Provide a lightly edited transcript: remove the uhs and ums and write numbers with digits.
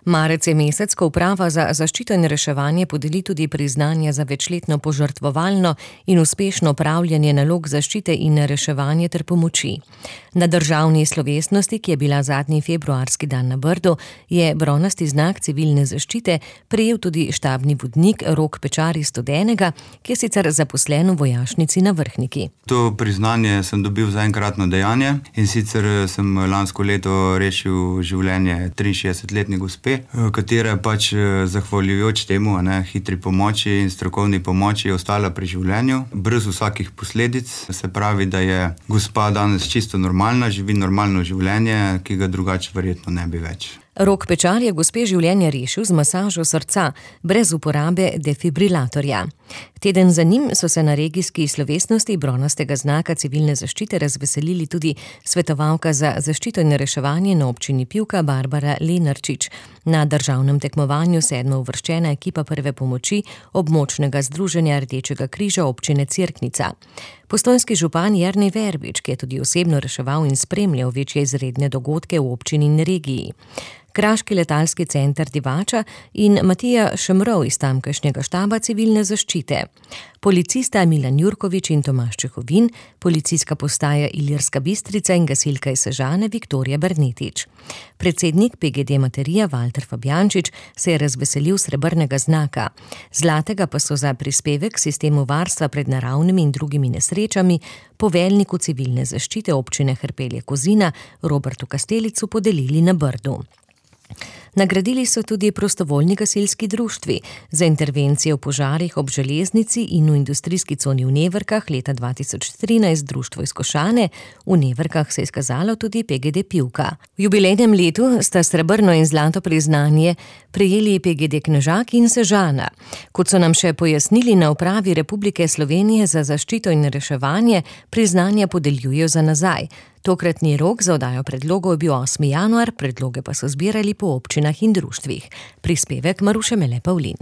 Marec je mesec, ko Uprava za zaščito in reševanje podeli tudi priznanja za večletno požrtvovalno in uspešno opravljanje nalog zaščite in reševanja ter pomoči. Na državni slovesnosti, ki je bila zadnji februarski dan na Brdu, je bronasti znak civilne zaščite prejel tudi štabni vodnik Rok Pečar iz Studenega, ki je sicer zaposlen v vojašnici na Vrhniki. To priznanje sem dobil za enkratno dejanje in sicer sem lansko leto rešil življenje 63-letne gospe, katera pač zahvaljujoč temu, hitri pomoči in strokovni pomoči je ostala pri življenju, brez vsakih posledic. Se pravi, da je gospa danes čisto normalna, živi normalno življenje, ki ga drugače verjetno ne bi več. Rok Pečar je gospe življenje rešil z masažo srca, brez uporabe defibrilatorja. Teden za njim so se na regijski slovesnosti bronastega znaka civilne zaščite razveselili tudi svetovalka za zaščito in reševanje na občini Pivka Barbara Lenarčič, na državnem tekmovanju 7. uvrščena ekipa prve pomoči območnega združenja Rdečega križa občine Cerknica. Postojnski župan Jernej Verbič, ki je tudi osebno reševal in spremljal večje izredne dogodke v občini in regiji. Kraški letalski center Divača in Matija Šemrov iz tamkajšnjega štaba civilne zaščite. Policista Milan Jurkovič in Tomaž Čehovin, policijska postaja Ilirska Bistrica in gasilka iz Sežane Viktorija Bernetič. Predsednik PGD Materija Valter Fabjančič se je razveselil srebrnega znaka. Zlatega pa so za prispevek k sistemu varstva pred naravnimi in drugimi nesrečami poveljniku civilne zaščite občine Hrpelje-Kozina Robertu Kastelicu podelili na Brdu. Nagradili so tudi prostovoljni gasilski društvi za intervencije v požarih ob železnici in v industrijski coni v Nevrkah leta 2013 društvo iz Košane, v Nevrkah se je izkazalo tudi PGD Pivka. V jubilejnem letu sta srebrno in zlato priznanje prejeli PGD Knežak in Sežana. Kot so nam še pojasnili na Upravi Republike Slovenije za zaščito in reševanje, priznanja podeljujejo za nazaj. Tokratni rok za oddajo predlogov je bil 8. januar, predloge pa so zbirali po občinah in društvih. Prispevek Maruše Mele Pavlin.